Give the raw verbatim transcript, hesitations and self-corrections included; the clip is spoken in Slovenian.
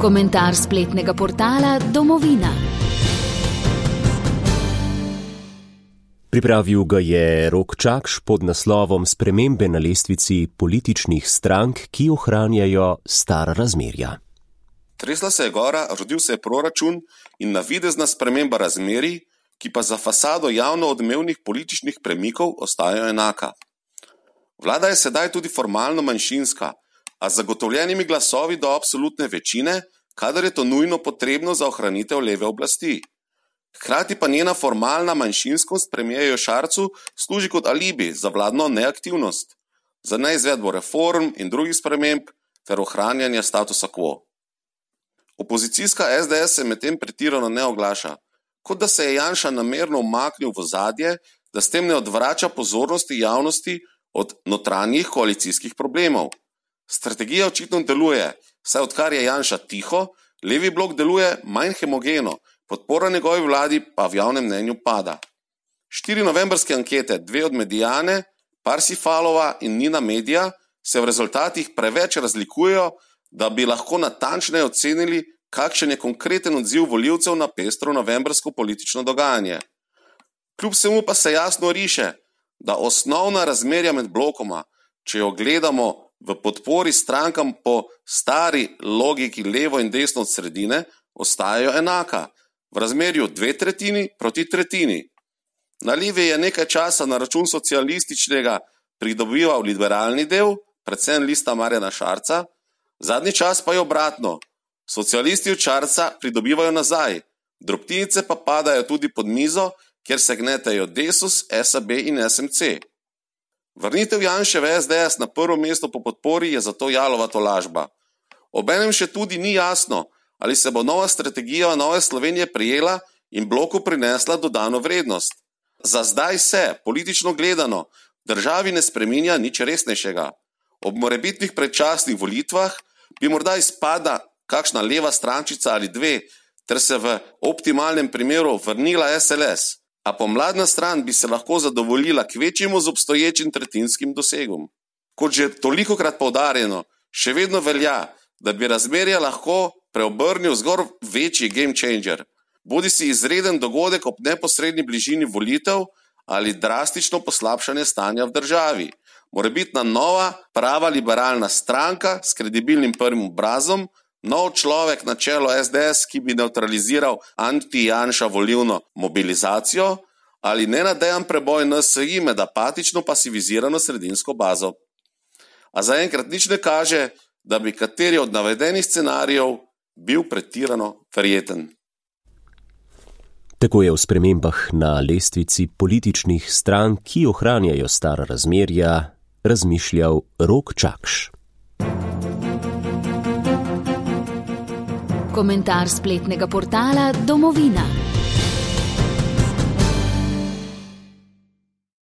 Komentar spletnega portala Domovina. Pripravil ga je Rok Čakš pod naslovom Spremembe na lestvici političnih strank, ki ohranjajo stara razmerja. Tresla se je gora, rodil se je proračun in navidezna sprememba razmerij, ki pa za fasado javno odmevnih političnih premikov ostajajo enaka. Vlada je sedaj tudi formalno manjšinska, a z zagotovljenimi glasovi do absolutne večine, kadar je to nujno potrebno za ohranitev leve oblasti. Hkrati pa njena formalna manjšinskost premierju Šarcu služi kot alibi za vladno neaktivnost, za neizvedbo reform in drugih sprememb ter ohranjanje statusa quo. Opozicijska es de es se medtem pretirano ne oglaša, kot da se je Janša namerno umaknil v ozadje, da s tem ne odvrača pozornosti javnosti od notranjih koalicijskih problemov. Strategija očitno deluje, saj odkar je Janša tiho, levi blok deluje manj homogeno, podpora njegovi vladi pa v javnem mnenju pada. Štiri novembrske ankete, dve od Mediane, Parsifalova in Nina Media, se v rezultatih preveč razlikujejo, da bi lahko natančneje ocenili, kakšen je konkreten odziv volivcev na pestro novembrsko politično dogajanje. Kljub vsemu pa se jasno riše, da osnovna razmerja med blokoma, če jo gledamo v podpori strankam po stari logiki levo in desno od sredine, ostajajo enaka, v razmerju dve tretjini proti tretjini. Na levi je nekaj časa na račun socialističnega pridobival liberalni del, predvsem Lista Marjana Šarca, zadnji čas pa je obratno. Socialisti od Šarca pridobivajo nazaj, drobtinice pa padajo tudi pod mizo, kjer se gnetejo Desus, es a be in es em ce. Vrnitev Janševe es de es na prvo mesto po podpori je zato jalova tolažba. Obenem še tudi ni jasno, ali se bo nova strategija Nove Slovenije prijela in bloku prinesla dodano vrednost. Za zdaj se, politično gledano, državi ne spreminja nič resnejšega. Ob morebitnih predčasnih volitvah bi morda izpada kakšna leva strančica ali dve, ter se v optimalnem primeru vrnila es el es, a pomladna stran bi se lahko zadovoljila kvečjemu z obstoječim tretjinskim dosegom. Kot že tolikokrat poudarjeno, še vedno velja, da bi razmerja lahko preobrnil zgolj večji game changer, bodi si izreden dogodek ob neposredni bližini volitev ali drastično poslabšanje stanja v državi. Morebitna nova, prava liberalna stranka s kredibilnim prvim obrazom, nov človek na čelo es de es, ki bi neutraliziral anti-Janša volilno mobilizacijo ali nenadejan preboj en es i med apatično pasivizirano sredinsko bazo. A zaenkrat nič ne kaže, da bi kateri od navedenih scenarijev bil pretirano verjeten. Tako je v spremembah na lestvici političnih strank, ki ohranjajo stara razmerja, razmišljal Rok Čakš. Komentar spletnega portala Domovina.